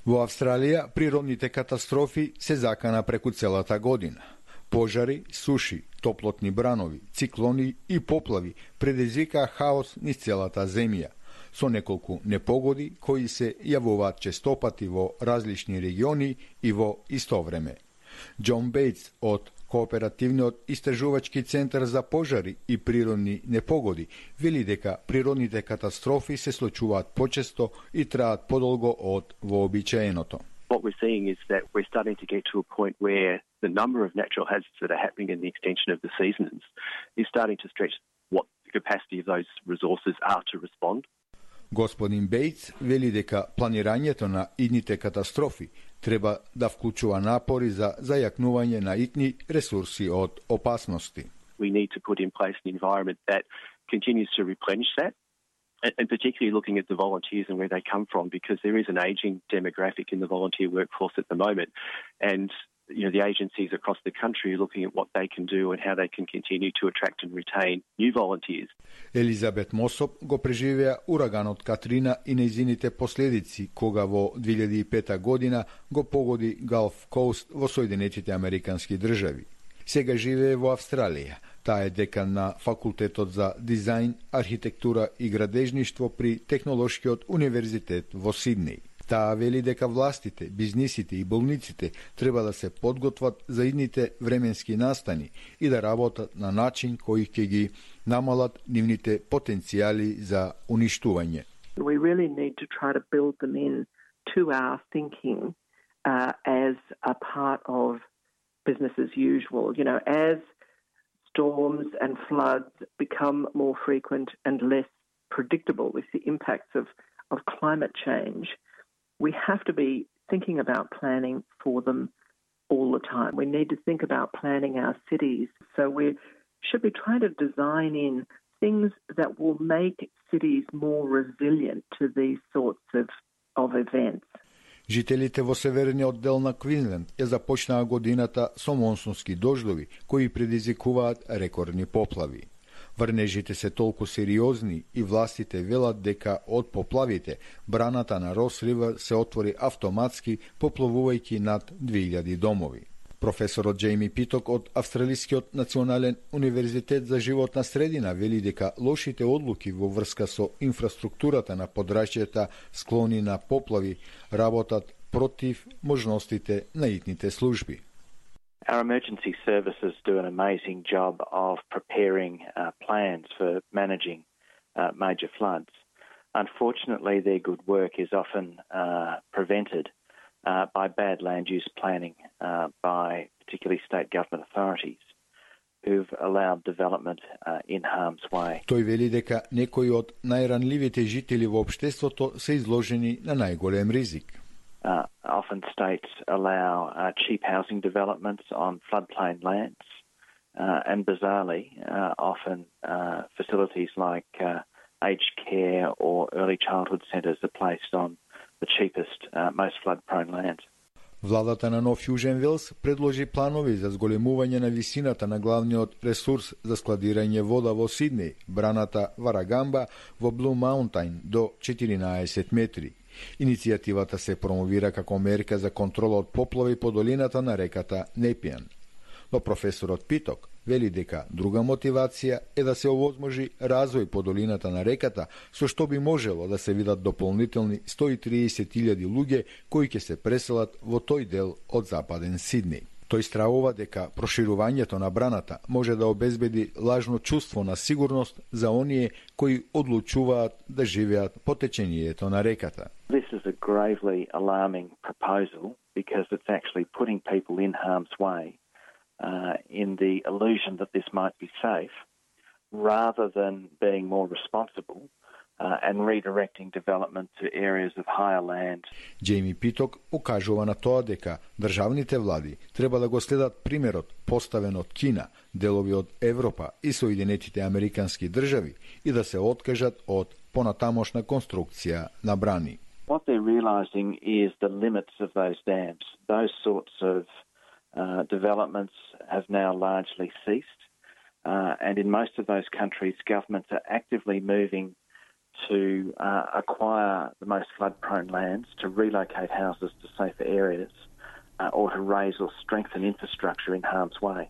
Во Австралија природните катастрофи се закана преку целата година. Пожари, суши, топлотни бранови, циклони и поплави предизвикаа хаос низ целата земја, со неколку непогоди кои се јавуваат честопати во различни региони и во исто време. Џон Бејтс од Кооперативниот истражувачки центар за пожари и природни непогоди вели дека природните катастрофи се случуваат почесто и траат подолго од вообичаеното. What we're seeing is that we're starting to get to a point where the number of natural hazards that are happening in the extension of the seasons is starting to stretch what the capacity of those resources are to respond. Господин Бејтс вели дека планирањето на идните катастрофи треба да вклучува напори за зајакнување на итни ресурси од опасности. We need to put in place an environment that continues to replenish that, and particularly looking at the volunteers and where they come from, because there is an ageing demographic in the volunteer workforce at the moment, and the agencies across the country are looking at what they can do and how they can continue to attract and retain new volunteers. Елизабет Мосоп го преживеа ураганот Катрина и нејзините последици, кога во 2005 година го погоди Галф Коуст во Соединетите Американски држави. Сега живее во Австралија. Таа е декан на Факултетот за дизајн, архитектура и градежништво при Технолошкиот универзитет во Сиднеј. Таа вели дека властите, бизнисите и болниците треба да се подготват за идните временски настани и да работат на начин кој ќе ги намалат нивните потенцијали за уништување. We really need to try to build them in to our thinking as a part of business as usual. As storms and floods become more frequent and less predictable with the impacts of climate change, we have to be thinking about planning for them all the time. We need to think about planning our cities. So we should be trying to design in things that will make cities more resilient to these sorts of events. Жителите во северниот дел на Квинсленд ја започнаа годината со монсунски дождови кои предизвикуваат рекордни поплави. Врнежите се толку сериозни и властите велат дека од поплавите браната на Рос Ривер се отвори автоматски, поплавувајќи над 2000 домови. Професорот Џејми Питок од Австралискиот национален универзитет за животна средина вели дека лошите одлуки во врска со инфраструктурата на подрачјата склони на поплави работат против можностите на итните служби. Our emergency services do an amazing job of preparing plans for managing major floods. Unfortunately, their good work is often prevented by bad land use planning by particularly state government authorities who've allowed development in harm's way. Тој вели дека некои од најранливите жители во општеството се изложени на најголем ризик. Often states allow cheap housing developments on floodplain lands, and bizarrely, often facilities like aged care or early childhood centres are placed on the cheapest, most flood-prone lands. Владата на Нов Јужен Велс предложи планови за зголемување на висината на главниот ресурс за складирање вода во Сиднеј, браната Варагамба во Блу Маунтајн до 14 метри. Иницијативата се промовира како мерка за контрола од поплави по долината на реката Непијан. Но професорот Питок вели дека друга мотивација е да се овозможи развој по долината на реката, со што би можело да се видат дополнителни 130.000 луѓе кои ќе се преселат во тој дел од западен Сиднеј. Тој стравува дека проширувањето на браната може да обезбеди лажно чувство на сигурност за оние кои одлучуваат да живеат по течењето на реката. This is a gravely alarming proposal because it's actually putting people in harm's way in the illusion that this might be safe, rather than being more responsible and redirecting development to areas of higher land. Џејми Питок укажува на тоа дека државните влади треба да го следат примерот поставен од Кина, делови од Европа и Соединетите Американски држави и да се откажат од понатамошна конструкција на брани. What they're realising is the limits of those dams. Those sorts of developments have now largely ceased, and in most of those countries, governments are actively moving to acquire the most flood-prone lands, to relocate houses to safer areas, or to raise or strengthen infrastructure in harm's way.